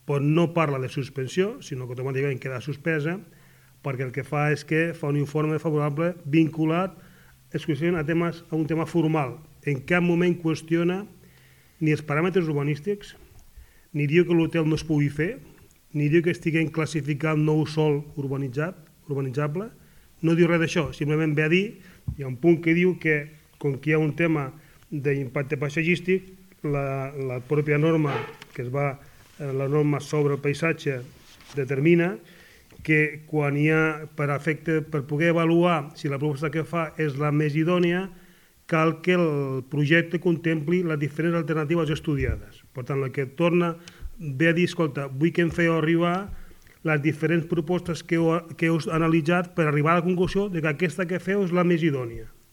però no parla de suspensió, sinó que automàticament queda suspesa, perquè el que fa és que fa un informe favorable vinculat exclusivament a un tema formal. En cap moment qüestiona ni els paràmetres urbanístics, ni diu que l'hotel no es pugui fer, ni diu que estiguem classificant nou sòl urbanitzable, no diu res d'això, simplement ve a dir, hi ha un punt que diu que, com que hi ha un tema d'impacte paisatgístic, la pròpia norma, que es va, la norma sobre el paisatge, determina que quan hi ha, per poder avaluar si la proposta que fa és la més idònia, cal que el projecte contempli les diferents alternatives estudiades. Per tant, el que torna ve a dir, escolta, vull que em feu arribar les diferents propostes que heu analitzat per arribar a la conclusió que aquesta que feu és la més idònia.